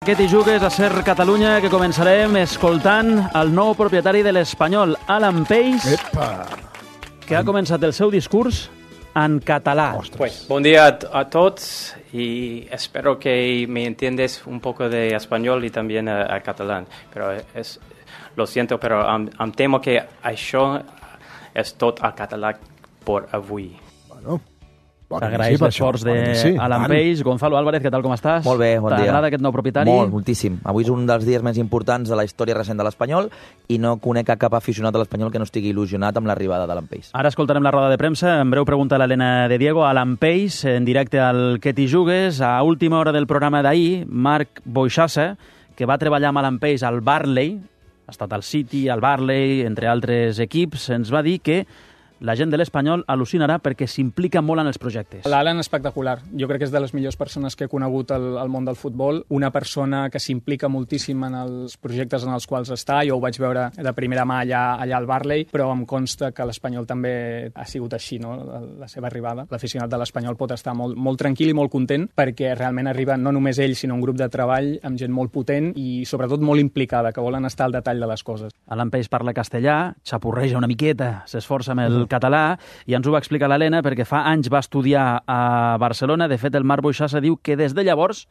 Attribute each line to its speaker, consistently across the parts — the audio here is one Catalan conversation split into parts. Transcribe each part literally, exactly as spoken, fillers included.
Speaker 1: Aquest i jugues a Ser Catalunya, que començarem escoltant el nou propietari de l'Espanyol, Alan Peix,
Speaker 2: Epa.
Speaker 1: que ha començat el seu discurs en català.
Speaker 3: Pues, buen día a, a todos y espero que me entiendes un poco de español y también a, a catalán. Pero es, lo siento, pero em, em temo que això és tot a català per avui.
Speaker 2: Bueno,
Speaker 1: T'agraeix
Speaker 2: sí,
Speaker 1: l'esforç d'Alan
Speaker 2: sí,
Speaker 1: Peix. Gonzalo Álvarez, què tal, com estàs?
Speaker 4: Molt bé, bon dia.
Speaker 1: T'agrada aquest nou propietari?
Speaker 4: Molt, moltíssim. Avui és un dels dies més importants de la història recent de l'Espanyol i no conec a cap aficionat de l'Espanyol que no estigui il·lusionat amb l'arribada d'Alan Peix.
Speaker 1: Ara escoltarem la roda de premsa. En breu pregunta a l'Helena de Diego. Alan Peix, en directe al Que t'hi jugues. A última hora del programa d'ahir, Marc Boixassa, que va treballar amb Alan Peix al Barley, ha estat al City, al Barley, entre altres equips, ens va dir que la gent de l'Espanyol al·lucinarà perquè s'implica molt en els projectes.
Speaker 5: L'Alan és espectacular. Jo crec que és de les millors persones que he conegut al, al món del futbol. Una persona que s'implica moltíssim en els projectes en els quals està. Jo ho vaig veure de primera mà allà, allà al Barley, però em consta que l'Espanyol també ha sigut així, no? La, la seva arribada. L'aficionat de l'Espanyol pot estar molt, molt tranquil i molt content perquè realment arriba no només ell, sinó un grup de treball amb gent molt potent i sobretot molt implicada, que volen estar al detall de les coses.
Speaker 1: Alan Peix parla castellà, xapurreja una miqueta, s'esforça amb el català, i ens ho va explicar l'Helena perquè fa anys va estudiar a Barcelona. De fet, el Marc Boixassa diu que des de llavors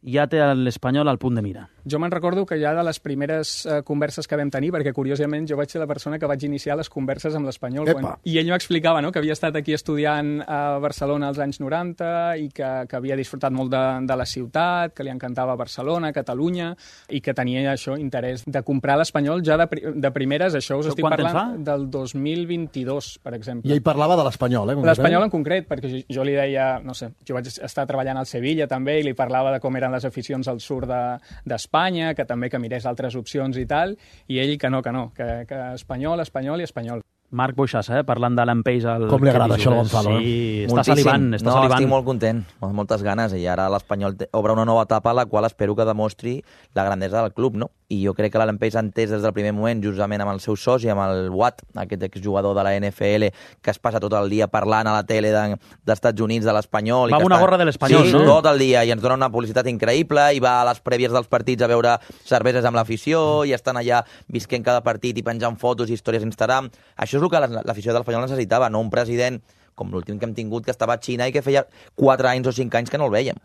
Speaker 1: ja té l'Espanyol al punt de mira.
Speaker 5: Jo me'n recordo que ja de les primeres eh, converses que vam tenir, perquè curiosament jo vaig ser la persona que vaig iniciar les converses amb l'Espanyol. Quan... I ell m'explicava, no?, que havia estat aquí estudiant a Barcelona als anys noranta i que, que havia disfrutat molt de, de la ciutat, que li encantava Barcelona, Catalunya, i que tenia això, interès de comprar l'Espanyol ja de, de primeres. Això us estic parlant del dos mil vint-i-dos, per exemple.
Speaker 2: I ell parlava de l'Espanyol, eh?
Speaker 5: L'Espanyol en concret, perquè jo, jo li deia, no sé, jo vaig estar treballant al Sevilla també i li parlava de com eren les aficions al sud d'Espanya, de, que també que mirés altres opcions i tal, i ell que no, que no, que, que espanyol, espanyol i espanyol.
Speaker 1: Marc Boixassa, eh? Parlant d'Alan Peix al...
Speaker 2: Com li agrada això al Gonzalo,
Speaker 1: eh? Sí,
Speaker 2: eh?
Speaker 1: està salivant, està
Speaker 4: no,
Speaker 1: salivant.
Speaker 4: Estic molt content, amb moltes ganes, i ara l'Espanyol obre una nova etapa a la qual espero que demostri la grandesa del club, no? I jo crec que l'Alan Peix ha entès des del primer moment, justament amb el seu soci, amb el Watt, aquest exjugador de la N F L, que es passa tot el dia parlant a la tele d'Estats Units, de l'Espanyol...
Speaker 1: Va amb una gorra de l'Espanyol,
Speaker 4: sí,
Speaker 1: no?
Speaker 4: Sí, tot el dia, i ens dona una publicitat increïble, i va a les prèvies dels partits a veure cerveses amb l'afició, i estan allà visquent cada partit i penjant fotos i històries a Instagram. Això és el que l'afició de l'Espanyol necessitava, no un president com l'últim que hem tingut, que estava a Xina i que feia quatre anys o cinc anys que no el vèiem.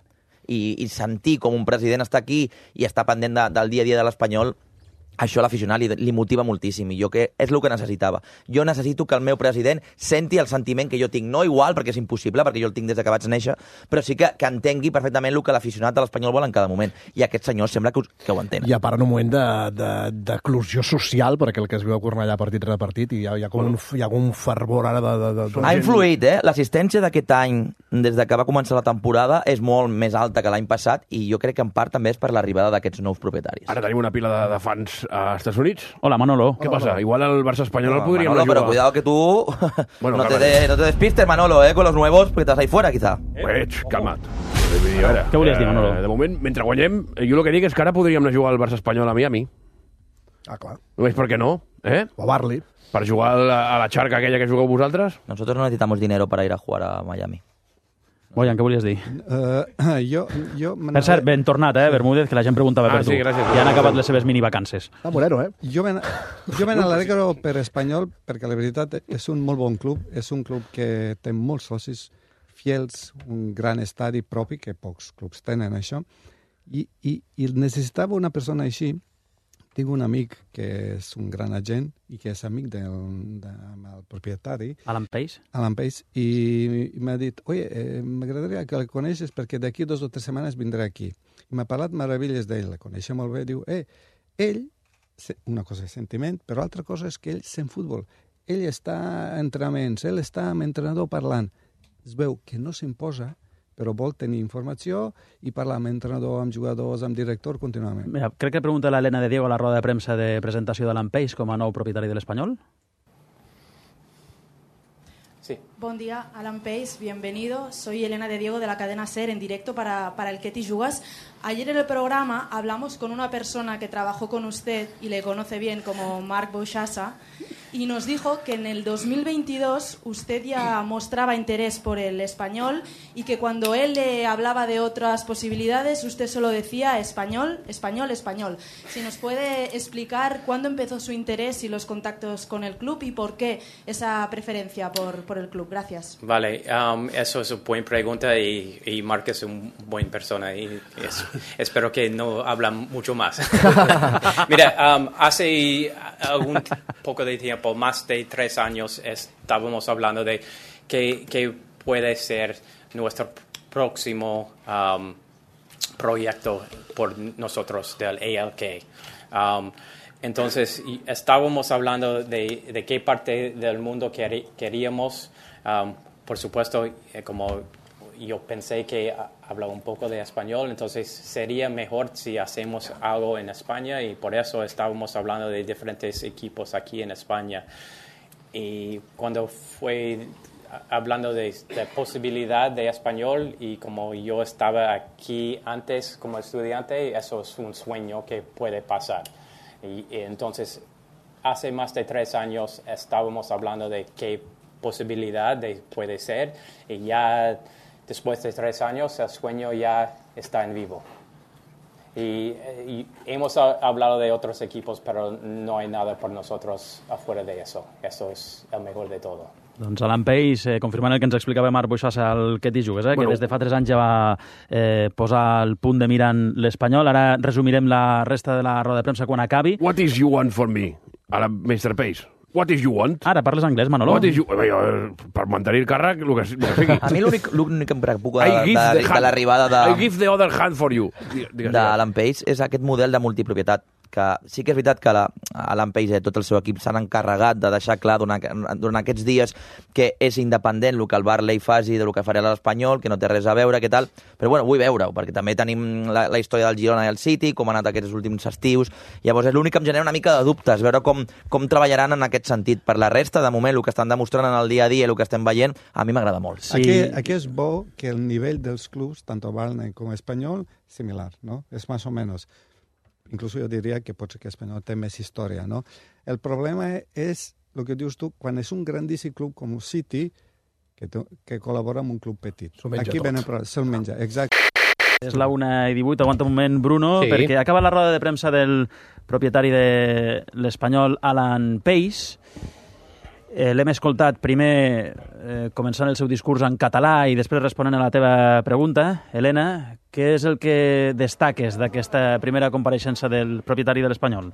Speaker 4: I, i sentir com un president està aquí i està pendent de, del dia a dia de l'Espanyol, això a l'aficionat li, li motiva moltíssim, i jo que és el que necessitava. Jo necessito que el meu president senti el sentiment que jo tinc, no igual, perquè és impossible, perquè jo el tinc des que vaig néixer, però sí que, que entengui perfectament el que l'aficionat de l'Espanyol vol en cada moment. I aquest senyor sembla que, que ho entén.
Speaker 2: I a part en un moment d'eclusió social, perquè el que es veu a Cornellà partit rere partit, i hi ha, hi ha, com un, hi ha un fervor ara de... de, de, de
Speaker 4: ha influït, eh? L'assistència d'aquest any, des de que va començar la temporada, és molt més alta que l'any passat, i jo crec que en part també és per l'arribada d'aquests nous propietaris.
Speaker 6: Ara tenim una pila de, de fans a Estats Units.
Speaker 1: Hola, Manolo.
Speaker 6: Què pasa? Igual el Barça espanyol
Speaker 4: no,
Speaker 6: el podríem
Speaker 4: Manolo,
Speaker 6: jugar.
Speaker 4: Pero cuidado que tú
Speaker 6: bueno,
Speaker 4: no, te de, no te despistes, Manolo, eh, con los nuevos, porque estás ahí fuera, quizá.
Speaker 6: Eh, calma't. Eh, ara,
Speaker 1: Què volies dir, Manolo?
Speaker 6: Eh, de moment, mentre guanyem, jo el que dic és que ara podríem anar a jugar al Barça espanyol a Miami.
Speaker 2: Ah, clar.
Speaker 6: Només per què no? Eh?
Speaker 2: O a Barley.
Speaker 6: Per jugar a la, a la xarca aquella que jugueu vosaltres?
Speaker 4: Nosotros no necesitamos dinero para ir a jugar a Miami.
Speaker 1: Boyan, què volies dir?
Speaker 7: Uh, jo, jo
Speaker 1: per cert, ben tornat, eh, Bermúdez, que la gent preguntava
Speaker 6: ah,
Speaker 1: per tu.
Speaker 6: Sí, gràcies.
Speaker 1: Ja han acabat les seves minivacances.
Speaker 2: Ah, Moreno, eh?
Speaker 7: Jo me, jo me n'alegro per Espanyol, perquè la veritat és un molt bon club, és un club que té molts socis fiels, un gran estadi propi, que pocs clubs tenen això, i, i, i necessitava una persona així. Tinc un amic que és un gran agent i que és amic del, del propietari.
Speaker 1: Alan Peix?
Speaker 7: Alan Peix, i, i m'ha dit, oye, eh, m'agradaria que el coneixes perquè d'aquí dos o tres setmanes vindré aquí. I m'ha parlat meravelles d'ell, la coneixia molt bé, diu, eh, ell, una cosa és sentiment, però altra cosa és que ell sent futbol. Ell està a entrenaments, ell està amb entrenador parlant. Es veu que no s'imposa, però vol tenir informació i parlar amb entrenador, amb jugadors, amb director contínuament.
Speaker 1: Mira, crec que pregunta l'Helena de Diego a la roda de premsa de presentació d'Alan Peix com a nou propietari de l'Espanyol.
Speaker 8: Sí. Buen día, Alan Peix, bienvenido. Soy Elena de Diego de la cadena SER en directo para, para el Que t'hi jugues. Ayer en el programa hablamos con una persona que trabajó con usted y le conoce bien como Marc Boixassa y nos dijo que en el dos mil veintidós usted ya mostraba interés por el español y que cuando él le hablaba de otras posibilidades usted solo decía español, español, español. Si nos puede explicar cuándo empezó su interés y los contactos con el club y por qué esa preferencia por, por el club. Gracias.
Speaker 3: Vale, um, eso es una buena pregunta y, y Marc es una buena persona y es, espero que no habla mucho más. Mira, um, hace algún poco de tiempo, más de tres años, estábamos hablando de qué, qué puede ser nuestro próximo um, proyecto por nosotros del A L K. Um, entonces, estábamos hablando de, de qué parte del mundo quer, queríamos. Um, por supuesto, eh, como yo pensé que hablaba un poco de español, entonces sería mejor si hacemos algo en España y por eso estábamos hablando de diferentes equipos aquí en España. Y cuando fue hablando de, de posibilidad de español y como yo estaba aquí antes como estudiante, eso es un sueño que puede pasar. Y, y entonces, hace más de tres años estábamos hablando de qué posibilidad de, puede ser y ya después de tres años, el sueño ya está en vivo. Y, y hemos hablado de otros equipos, pero no hay nada por nosotros afuera de eso. Eso es el mejor de todo.
Speaker 1: Doncs Alan Pace, eh, confirmant el que ens explicava Marc Boixassa al Que t'hi jugues, eh, bueno, que des de fa tres anys ja va eh, posar el punt de mira en l'Espanyol. Ara resumirem la resta de la roda de premsa quan acabi.
Speaker 6: What is you want for me, Alan mister Pace? What is you want?
Speaker 1: Ara, parles anglès, Manolo?
Speaker 6: What is you... Per mantenir el càrrec, el que, el que sigui.
Speaker 4: A mi l'únic, l'únic que em preocupa de, de, de l'arribada de...
Speaker 6: I give the other hand for you.
Speaker 4: D'Alan Pace és aquest model de multipropietat, que sí que és veritat que la, Alan Pace i tot el seu equip s'han encarregat de deixar clar durant, durant aquests dies que és independent el que el Barley faci de lo que farà l'Espanyol, que no té res a veure, què tal, però bueno, vull veure-ho, perquè també tenim la, la història del Girona i el City, com ha anat aquests últims estius, llavors és l'únic que em genera una mica de dubtes, veure com, com treballaran en aquest sentit. Per la resta, de moment, el que estan demostrant en el dia a dia i el que estem veient, a mi m'agrada molt.
Speaker 7: Sí. Aquí, aquí és bo que el nivell dels clubs, tant Barley com Espanyol, similar, ¿no? És más o menos. Incluso jo diria que pot ser que Espanyol té més història, no? El problema és, el que dius tu, quan és un grandíssim club com City, que, que col·labora amb un club petit. Aquí venen problemes, se'l menja, exacte.
Speaker 1: És la una i divuit, aguanta un moment, Bruno, sí. Perquè acaba la roda de premsa del propietari de l'Espanyol, Alan Pace. Eh, L'hem escoltat primer eh, començant el seu discurs en català i després responent a la teva pregunta. Helena, què és el que destaques d'aquesta primera compareixença del propietari de l'Espanyol?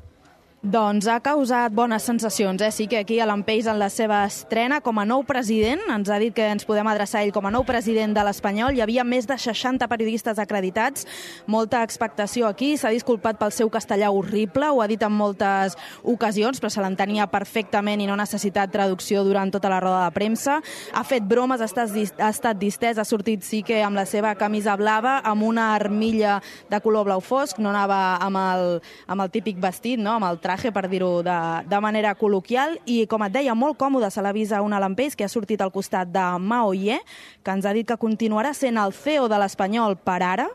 Speaker 8: Doncs ha causat bones sensacions, eh? Sí que aquí Alan Pace en la seva estrena com a nou president, ens ha dit que ens podem adreçar a ell com a nou president de l'Espanyol. Hi havia més de seixanta periodistes acreditats, molta expectació aquí, s'ha disculpat pel seu castellà horrible, ho ha dit en moltes ocasions, però se l'entenia perfectament i no ha necessitat traducció durant tota la roda de premsa. Ha fet bromes, ha estat, ha estat distès, ha sortit sí que amb la seva camisa blava, amb una armilla de color blau fosc, no anava amb el, amb el típic vestit, no? Amb el traje, per dir-ho de, de manera col·loquial, i com et deia, molt còmode se l'avisa un Alan Pace que ha sortit al costat de Mao Ye, que ens ha dit que continuarà sent el C E O de l'Espanyol per ara,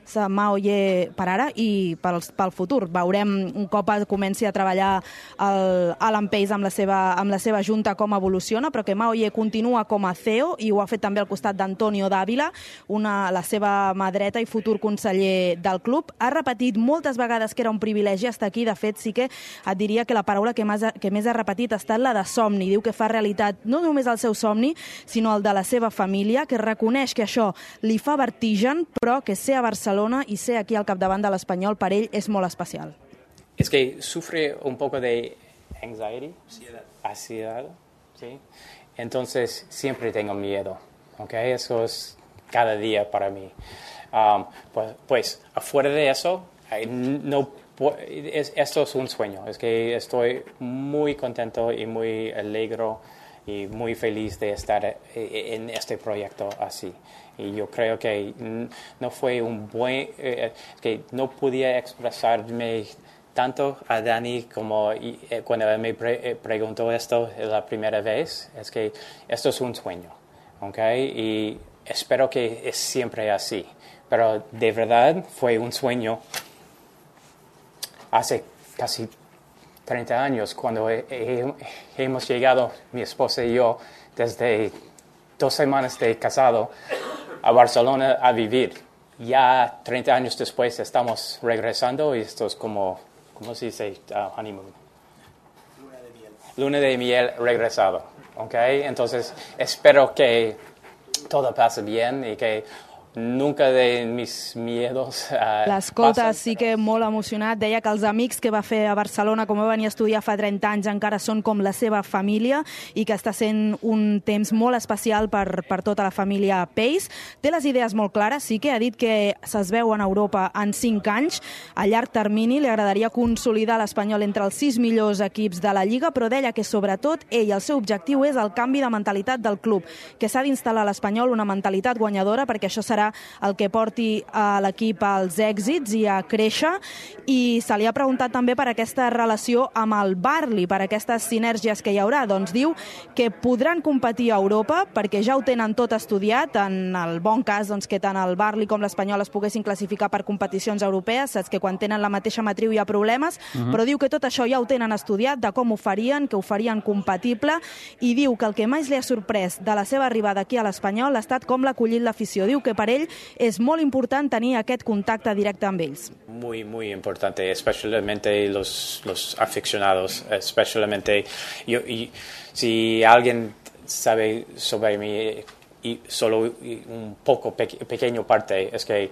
Speaker 8: Mao Ye per ara i pel, pel futur. Veurem un cop comenci a treballar el Alan Pace amb la, seva, amb la seva junta com evoluciona, però que Mao Ye continua com a C E O i ho ha fet també al costat d'Antonio Dávila, una, la seva mà dreta i futur conseller del club. Ha repetit moltes vegades que era un privilegi estar aquí. De fet, sí que et diria que la paraula que més, que més ha repetit ha estat la de somni. Diu que fa realitat no només el seu somni, sinó el de la seva família, que reconeix que això li fa vertigen, però que ser a Barcelona i ser aquí al capdavant de l'Espanyol per ell és molt especial.
Speaker 3: Es que sufre un poco de anxiety, ansiedad, ¿sí? Entonces siempre tengo miedo, ¿ok? Eso es cada día para mí. Um, pues, pues afuera de eso, no, es, esto es un sueño, es que estoy muy contento y muy alegre y muy feliz de estar en este proyecto así. Y yo creo que no fue un buen, eh, que no podía expresarme tanto a Dani como eh, cuando me pre preguntó esto la primera vez. Es que esto es un sueño, ¿ok? Y espero que es siempre así. Pero de verdad fue un sueño hace casi treinta años cuando he, he, hemos llegado, mi esposa y yo, desde dos semanas de casado a Barcelona a vivir. Ya treinta años después estamos regresando y esto es como, ¿cómo se dice? Uh, honeymoon. Luna de miel. Luna de miel regresado, ¿ok? Entonces espero que todo pase bien y que nunca de mis miedos uh,
Speaker 8: L'escolta
Speaker 3: passen.
Speaker 8: sí que molt emocionat. Deia que els amics que va fer a Barcelona, com va venir a estudiar fa trenta anys, encara són com la seva família i que està sent un temps molt especial per, per tota la família Pace. Té les idees molt clares, sí que ha dit que se'ls veu en Europa en cinc anys. A llarg termini li agradaria consolidar l'Espanyol entre els sis millors equips de la Lliga, però deia que sobretot ell, el seu objectiu és el canvi de mentalitat del club, que s'ha d'instal·lar a l'Espanyol una mentalitat guanyadora perquè això serà el que porti a l'equip als èxits i a créixer. I se li ha preguntat també per aquesta relació amb el Burnley, per aquestes sinergies que hi haurà. Doncs diu que podran competir a Europa perquè ja ho tenen tot estudiat, en el bon cas doncs, que tant el Burnley com l'Espanyol es poguessin classificar per competicions europees. Saps que quan tenen la mateixa matriu hi ha problemes, uh-huh. però diu que tot això ja ho tenen estudiat, de com ho farien, que ho farien compatible, i diu que el que més li ha sorprès de la seva arribada aquí a l'Espanyol ha estat com l'ha acollit l'afició. Diu que per ell és molt important tenir aquest contacte directe amb ells.
Speaker 3: Muy, muy importante, especialmente los, los aficionados, especialmente yo, y, si alguien sabe sobre mí y solo un poco pe pequeño parte, es que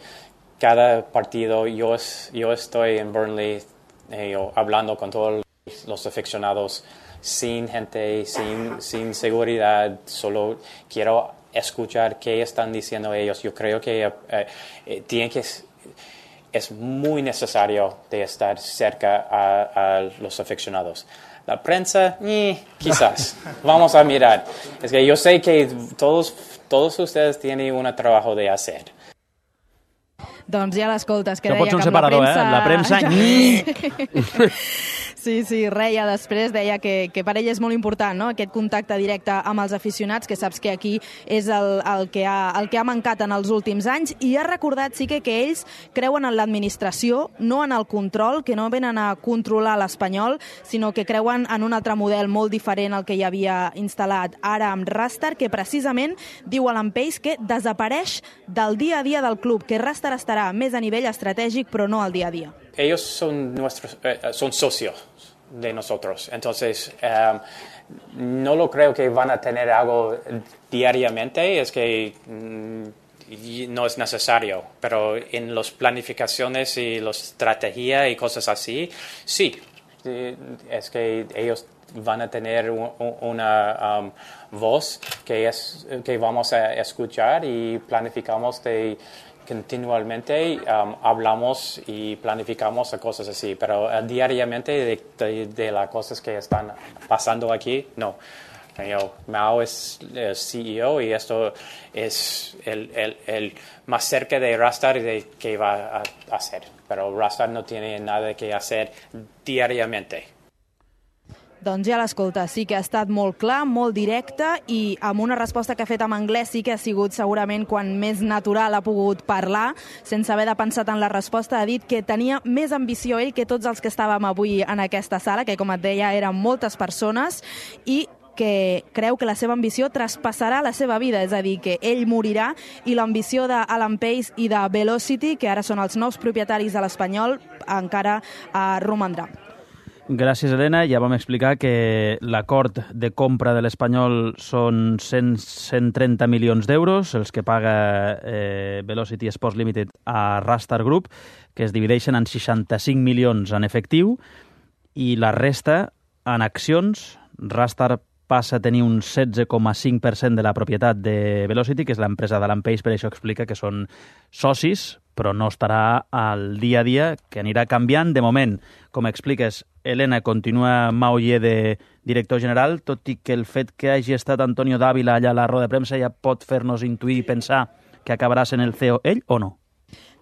Speaker 3: cada partido yo, es, yo estoy en Burnley eh, yo, hablando con todos los aficionados sin gente, sin, sin seguridad, solo quiero escuchar qué están diciendo ellos. Yo creo que eh, eh, tiene que es muy necesario de estar cerca a, a los aficionados. La prensa, eh, quizás. Vamos a mirar. Es que yo sé que todos, todos ustedes tienen un trabajo de hacer.
Speaker 8: Doncs ja l'escoltes, que
Speaker 1: no
Speaker 8: deia
Speaker 1: pots un
Speaker 8: que
Speaker 1: separador,
Speaker 8: la premsa...
Speaker 1: eh? La premsa...
Speaker 8: Sí, sí, reia després, deia que, que per ell és molt important, no?, aquest contacte directe amb els aficionats, que saps que aquí és el, el, que ha, el que ha mancat en els últims anys, i ha recordat sí que, que ells creuen en l'administració, no en el control, que no venen a controlar l'Espanyol, sinó que creuen en un altre model molt diferent al que hi havia instal·lat ara amb Rastar, que precisament diu a l'Ampeix que desapareix del dia a dia del club, que Rastar estarà més a nivell estratègic, però no al dia a dia.
Speaker 3: Ellos son nuestros, eh, son socios de nosotros, entonces um, no lo creo que van a tener algo diariamente, es que mm, no es necesario, pero en las planificaciones y la estrategia y cosas así, sí, es que ellos van a tener un, una um, voz que, es, que vamos a escuchar y planificamos de continuamente um, hablamos y planificamos cosas así, pero uh, diariamente de, de, de las cosas que están pasando aquí, no. Yo, Mao es el C E O y esto es el, el, el más cerca de Rastar de que va a hacer, pero Rastar no tiene nada que hacer diariamente.
Speaker 8: Doncs ja l'escolta, sí que ha estat molt clar, molt directe, i amb una resposta que ha fet en anglès sí que ha sigut segurament quan més natural ha pogut parlar, sense haver de pensar en la resposta. Ha dit que tenia més ambició ell que tots els que estàvem avui en aquesta sala, que com et deia eren moltes persones, i que creu que la seva ambició traspassarà la seva vida, és a dir, que ell morirà i l'ambició d'Alan Pace i de Velocity, que ara són els nous propietaris de l'Espanyol, encara eh, romandrà.
Speaker 1: Gràcies, Helena. Ja vam explicar que l'acord de compra de l'Espanyol són cent, cent trenta milions d'euros, els que paga eh, Velocity Sports Limited a Rastar Group, que es divideixen en seixanta-cinc milions en efectiu i la resta en accions. Rastar passa a tenir un setze coma cinc per cent de la propietat de Velocity, que és l'empresa d'Alan Pace, per això explica que són socis, però no estarà al dia a dia, que anirà canviant. De moment, com expliques, Helena, continua Mauller de director general, tot i que el fet que hagi estat Antonio Dávila allà a la roda de premsa ja pot fer-nos intuir i pensar que acabarà sent el C E O ell o no?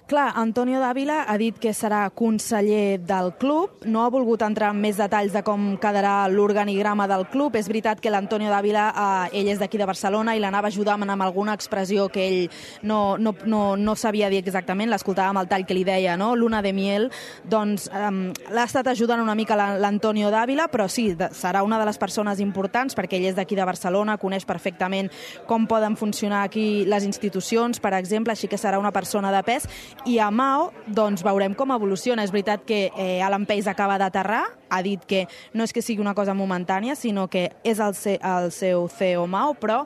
Speaker 8: Clar, Antonio Dávila ha dit que serà conseller del club, no ha volgut entrar en més detalls de com quedarà l'organigrama del club. És veritat que l'Antonio Dávila, eh, ell és d'aquí de Barcelona i l'anava ajudant amb alguna expressió que ell no, no, no, no sabia dir exactament, l'escoltàvem al tall que li deia, no? Luna de miel, doncs eh, l'ha estat ajudant una mica l'Antonio Dávila, però sí, de, serà una de les persones importants perquè ell és d'aquí de Barcelona, coneix perfectament com poden funcionar aquí les institucions, per exemple, així que serà una persona de pes. I a Mao, doncs veurem com evoluciona. És veritat que eh, Alan Pace acaba d'aterrar, ha dit que no és que sigui una cosa momentània, sinó que és el, se, el seu C E O Mao, però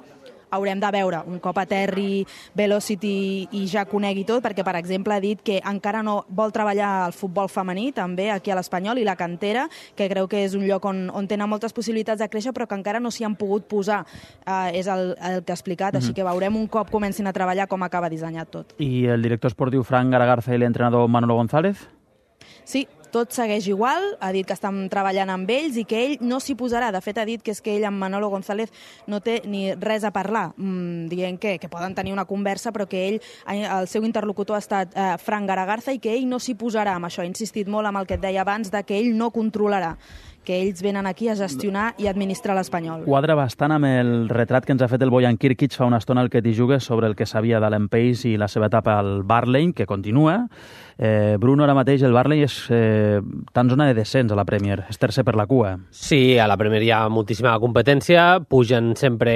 Speaker 8: haurem de veure un cop aterri Velocity i ja conegui tot, perquè, per exemple, ha dit que encara no vol treballar al futbol femení, també aquí a l'Espanyol, i la cantera, que creu que és un lloc on, on tenen moltes possibilitats de créixer, però que encara no s'hi han pogut posar. Uh, és el, el que ha explicat, mm-hmm. Així que veurem un cop comencin a treballar com acaba dissenyat tot.
Speaker 1: I el director esportiu Fran Garagarza i l'entrenador Manolo González?
Speaker 8: Sí, tot segueix igual, ha dit que estan treballant amb ells i que ell no s'hi posarà. De fet, ha dit que és que ell amb Manolo González no té ni res a parlar, mm, dient que, que poden tenir una conversa, però que ell, el seu interlocutor ha estat eh, Fran Garagarza, i que ell no s'hi posarà amb això. Ha insistit molt amb el que et deia abans, de que ell no controlarà, que ells venen aquí a gestionar i administrar l'Espanyol.
Speaker 1: Quadra bastant amb el retrat que ens ha fet el Bojan Kirkic fa una estona al que t'hi jugues sobre el que sabia d'Alan Pace i la seva etapa al Burnley, que continua. Eh, Bruno, ara mateix el Burnley és eh, tan zona de descens a la Premier, és tercer per la cua.
Speaker 9: Sí, a la Premier hi ha moltíssima competència, pugen sempre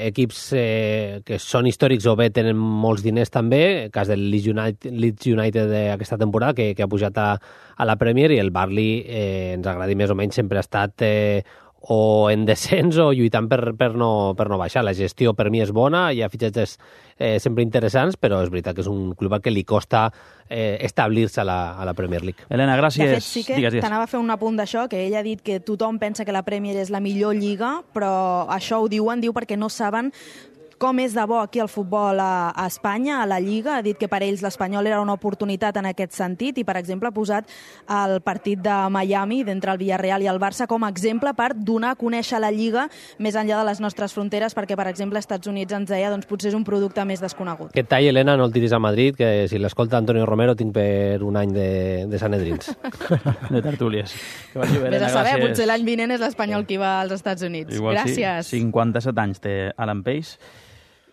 Speaker 9: equips eh, que són històrics o bé tenen molts diners també, el cas del Leeds United, Leeds United d'aquesta temporada, que, que ha pujat a, a la Premier, i el Burnley, eh, ens agradi més o menys, sempre ha estat eh, o en descens o lluitant per, per, no, per no baixar. La gestió per mi és bona, hi ha fitxatges eh, sempre interessants, però és veritat que és un club que li costa eh, establir-se a, la, a la Premier League.
Speaker 1: Elena, gràcies.
Speaker 8: De fet, sí que t'anava a fer un apunt d'això, que ell ha dit que tothom pensa que la Premier és la millor lliga, però això ho diuen, diu perquè no saben com és de bo aquí el futbol a, a Espanya, a la Lliga. Ha dit que per ells l'Espanyol era una oportunitat en aquest sentit i, per exemple, ha posat el partit de Miami d'entre el Villarreal i el Barça com a exemple per donar a conèixer la Lliga més enllà de les nostres fronteres, perquè, per exemple, als Estats Units ens deia doncs potser és un producte més desconegut.
Speaker 9: Aquest tall, Helena, no el tiris a Madrid, que si l'escolta Antonio Romero tinc per un any de, de Sanedrins.
Speaker 1: De tertúlies. Que vagi bé,
Speaker 8: Helena, Vés a saber,
Speaker 1: gràcies.
Speaker 8: Potser l'any vinent és l'Espanyol qui va als Estats Units.
Speaker 1: Igual
Speaker 8: gràcies.
Speaker 1: Sí, cinquanta-set anys té Alan Pace.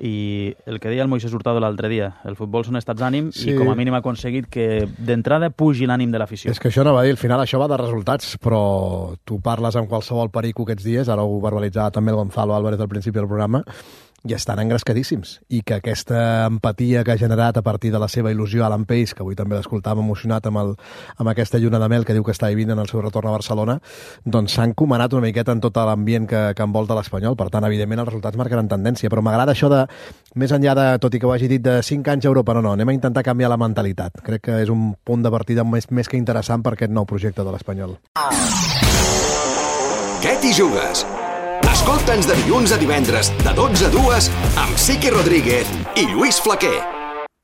Speaker 1: I el que deia el Moisés Hurtado l'altre dia, el futbol són estats d'ànim, sí. I com a mínim ha aconseguit que d'entrada pugi l'ànim de l'afició.
Speaker 2: És que això no va dir, al final això va de resultats, però tu parles amb qualsevol perico aquests dies, ara ho verbalitzava també el Gonzalo Álvarez al principi del programa, i estan engrescadíssims. I que aquesta empatia que ha generat a partir de la seva il·lusió Alan Pace, que avui també l'escoltàvem emocionat amb, el, amb aquesta lluna de mel que diu que està vivint en el seu retorn a Barcelona, doncs s'ha encomanat una miqueta en tot l'ambient que, que envolta l'Espanyol. Per tant, evidentment, els resultats marcaran tendència. Però m'agrada això de, més enllà de, tot i que ho hagi dit, de cinc anys a Europa, no, no, anem a intentar canviar la mentalitat. Crec que és un punt de partida més, més que interessant per aquest nou projecte de l'Espanyol.
Speaker 10: Què t'hi jugues? Escolta'ns de dilluns a divendres, de dotze a dues, amb Siqui Rodríguez i Lluís Flaquer.